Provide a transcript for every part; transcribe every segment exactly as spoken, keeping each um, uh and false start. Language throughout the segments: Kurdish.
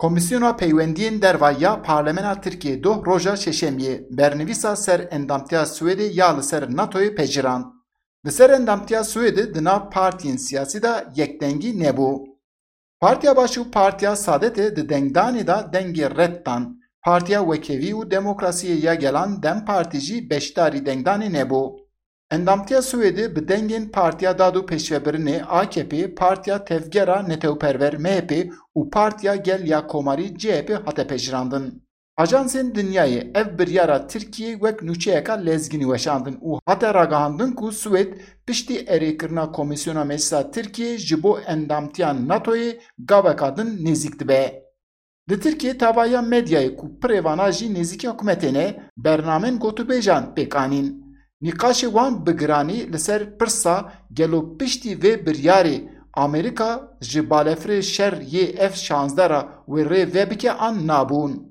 Komîsyona Peywendiyên Derva ya Parlemena Tirkiyê doh roja Şeşemiyê bernivîsa ser endamtiya Swêdê ya li ser NATOyê pejirand. Li ser endamtiya Swêdê di nav partiyên siyasî de yekdengî nebû. Partiya Baş û Partiya Saadetê di dengdanê de dengê red dan. Partiya Wekhevî û Demokrasiyê ya Gelan DEM Partî jî beşdarî dengdanê nebû. Endamtiya Swêdê bi dengên Partiya Dad û Pêşvebirinê, A K P, Partiya Tevgera Netewperwer, M H P, û Partiya Gel ya Komarî, C H P, hate pejirandin. Ajansên dinyayê ev biryara Tirkiyê wek nûçeyeka lezgînî weşandin û hate ragihandin ku Swêd piştî erêkirina Komîsyona Meclisa Tirkiyê ji bo endamtiya NATOyê gaveka din nêzîk dibe. Li Tirkiyê tavaya medyayê ku pirê vana jî nêzîkî hikûmetê ne, bernamên gotûbêjan pêk anîn. Nîqaşê wan bi giranî li ser pirsa gelo piştî vê biryarê Amerîka ji balefirê şer yê F şazdeh re wê rê vebike an nabûn.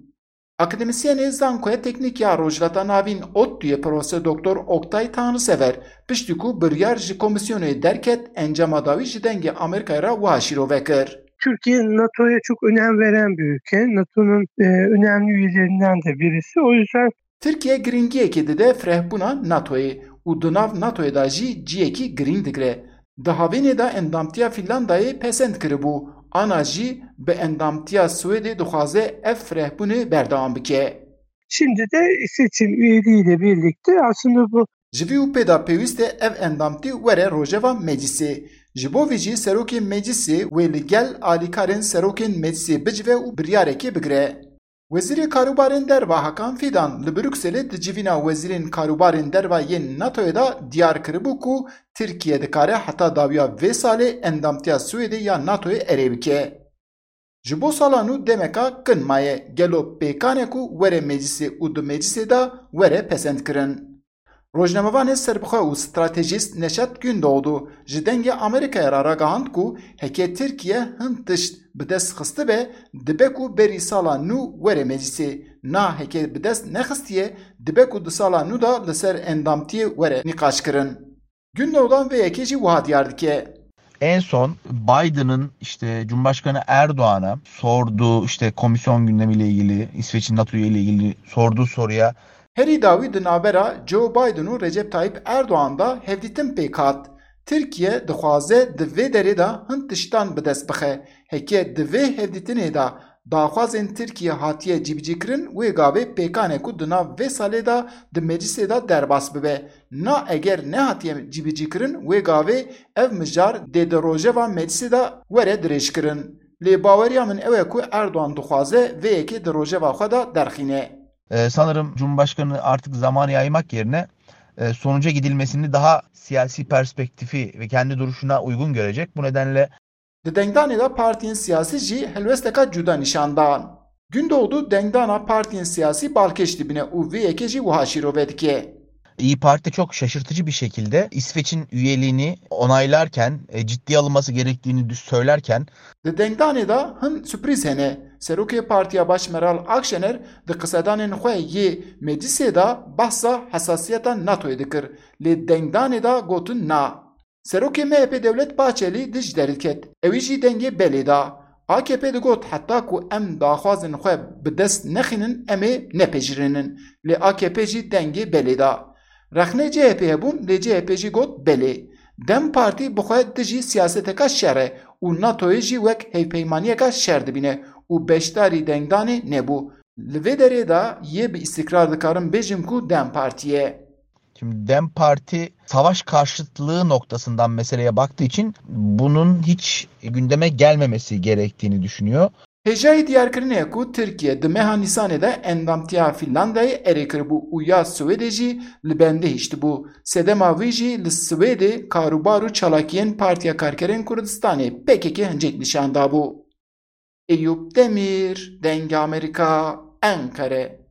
Akademîsyenê Zankoya Teknîk ya Rojhilata Navîn, ODTÜyê, Profesor Doktor Oktay Tanrısever, piştî ku biryar ji komîsyonê derket, encama dawî ji dengê Amerîkayê re wiha şîrove kir. Türkiye NATO'ya çok önem veren bir ülke. NATO'nun e, önemli üyelerinden de birisi. O yüzden Tirkiye giringiyekê dide firehbûna NATOyê û di nav NATOyê de jî ciyekî giring digire. Di havînê de endamtiya Fînlandayê pesend kiribû, ana jî bi endamtiya Swêdê dixwaze ev firehbûnê berdewam bike. Şimdi de İsveç'in üyeliğiyle birlikte aslında bu Ji vî û pê de pêwîst e ev endamtî were rojeva meclisê. Ji bo vî jî serokê meclisê wê li gel alîkarên serokên meclisê bicive û biryarekê bigire. Wezîrê Karûbarên Derva Hakan Fidan li Brukselê di civîna wezîrên karûbarên derva yên NATOyê de diyar kiribû ku Tirkiye dikare heta dawiya vê salê endamtiya Swêdê ya NATOyê erê bike. Ji bo sala nû demeka kin maye, gelo pêkan e ku were meclisê û di meclisê de were pesendkirin? Rojnamevanê serbixwe û stratejîst Neşat Gündoğdu ji Dengê Amerîkayê re ragihand ku heke Tirkiye hin tişt bi dest xistibe, dibe ku berî sala nû were meclisê, na heke bi dest nexistiye, dibe ku di sala nû de li ser endamtiyê were nîqaşkirin. Gündoğdan vê yekê jî wiha diyar dike. En son Biden'ın işte Cumhurbaşkanı Erdoğan'a sorduğu işte komisyon gündemiyle ilgili, İsveç'in NATO üyeliği ile ilgili sorduğu soruya Herî dawî di navbera Joe Biden û Recep Tayyip Erdoğan de hevdîtin pêk hat. Tirkiye dixwaze di vê derê de hin tiştan bi dest bixe. Heke di vê hevdîtinê de daxwazên Tirkiye hatiye cîbicîkirin, wê gavê pêkan e ku di nav vê salê de di meclisê de derbas bibe. Na eger nehatiye cîbicîkirin, wê gavê ev mijar dê di rojeva meclisê de were dirêjkirin. Lê baweriya min ew e ku Erdogan dixwaze vê yekê di rojeva xwe de derxîne. Ee, sanırım Cumhurbaşkanı artık zamanı yaymak yerine e, sonuca gidilmesini daha siyasi perspektifi ve kendi duruşuna uygun görecek. Bu nedenle Di dengdanê de partiyên siyasî jî helwesteka cuda nîşan dan. Gündoğdu dengdana partiyên siyasî balkêş dibîne û vê yekê jî wiha şîrove dike. İYİ Parti çok şaşırtıcı bir şekilde İsveç'in üyeliğini onaylarken, e, ciddiye alınması gerektiğini düz söylerken Di dengdanê de hin surprîz hene. Serokê Partiya Baş Meral Akşener di qisedanên xwe yê meclisê de behsa hesasiyeta NATOyê dikir, lê dengdanê de gotin na. Serokê MHP Devlet Bahçelî dij derdiket. Ewî jî dengê belê da. A K P digot heta ku em daxwazên xwe bi dest nexînin em ê nepejirînin. Lê A K P jî dengê belê da. Rexnê C H P hebûn lê C H P jî got belê. DEM Partî bi xwe dijî siyaseteka şer e û NATOyê jî wek hevpeymaniyeka şer dibîne û beşdarî dengdanê nebû. Li vê derê de yê bi îstikrar dikarim bêjim ku DEM Partî ye. Şimdi DEM Parti savaş karşıtlığı noktasından meseleye baktığı için bunun hiç gündeme gelmemesi gerektiğini düşünüyor. Hêjayî diyarkirinê ye ku Tirkiye di meha Nîsanê de endamtiya Fînlandayê erê kiribû û ya Swêdê jî li bendê hiştibû. Sedema wî jî li Swêdê karûbar û çalakiyên Partiya Karkerên Kurdistanê P K K hincet nîşan dabû. Eyûp Demîr, Dengê Amerîka, Enqere.